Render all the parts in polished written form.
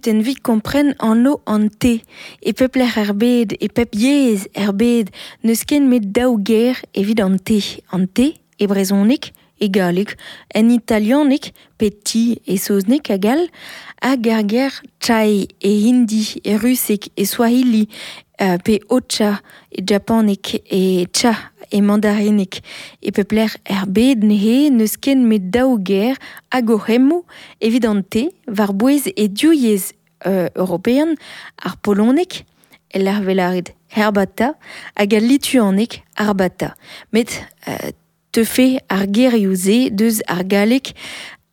kunutenn 'vit kompren anv an te. E pep lec'h er bed, e pep yezh er bed, n'eus ken 'met daou ger evit an te. An te e brezhoneg, e galleg, en italianeg pe ti e saozneg hag all, hag ar ger chai e hindi, e ruseg, e swahili, pe ocha e japaneg, e cha e mandarineg. E pep lec'h er bed neuze n'eus ken 'met daou ger hag o c'hemmoù evit an te war-bouez e div yezh european, ar poloneg, e-lec'h 'vez lâret herbata, hag al lituaneg arbata. Met teufe ar gerioù-se deus ar galleg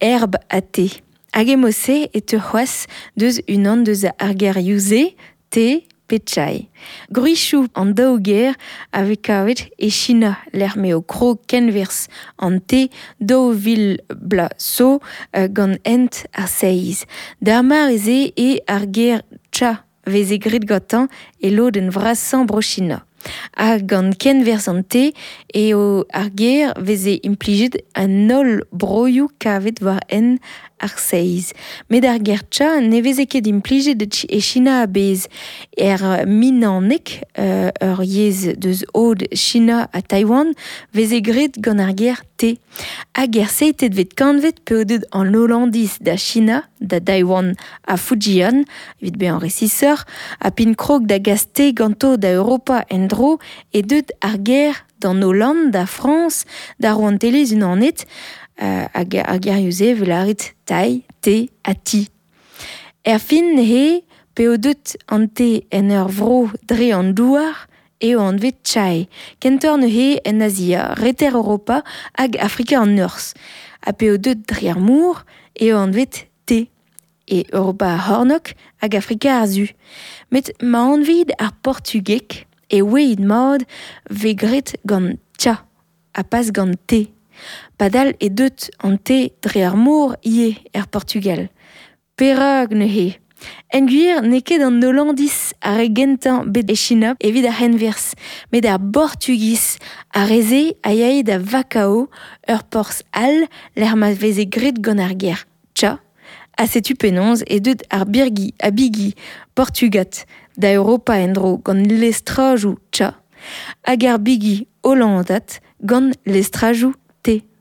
herbe à thé. Hag e-mod-se e teu c'hoazh deus unan deus ar gerioù-se, te pe chai. Gwrizioù an daou ger a vez kavet e China lec'h m'eo krog kenwerzh an te 2000 bloaz zo gant hent ar seiz. D'ar mare-se eo ar ger cha 'veze graet gantañ e lodenn vrasañ Bro-China. Ha gant kenwerzh an te eo ar ger 'veze implijet en holl broioù kavet war hent ar seiz. Met ar ger cha ne veze ket implijet e China a-bezh. Er Minnaneg, ur yezh deus aod China ha Taiwan, 'veze graet gant ar ger te. Hag er seizhtetvet kantved p'eo deuet an Hollandiz da China, da Daiwan ha Fujian, evit bezañ resisoc'h, ha p'int krog da gas te ganto da Europa en-dro eo deuet ar ger d'an Holland, da Frañs, da Rouantelezh-Unanet, hag ar gerioù-se 'vez lâret tai, te ha ti. Erfin neuze, p'eo deuet an te en ur vro dre an douar, eo anvet chai. Kentoc'h neuze en Azia, Reter Europa hag Afrika an Norzh. Ha p'eo deuet dre ar mor, eo anvet te. E Europa ar C'hornôg hag Afrika ar Su. Met ma anvit ar portugeg e ouiit mat 'vez graet gant cha ha pas gant te. Padal eo deuet an te dre ar mor ivez er Portugal. Perak neuze ? En gwir n'eo ket an Hollandiz ar re gentañ bet e China evit ar c'henwerzh, met ar Bortugiz, ar re-se a yae da Vakao, ur porzh all lec'h ma veze graet gant ar ger cha, ha setu penaos eo deuet ar birgi ha bigi portugat da Europa en-dro gant lestrajoù cha, hag ar bigi hollandat gant lestrajoù te.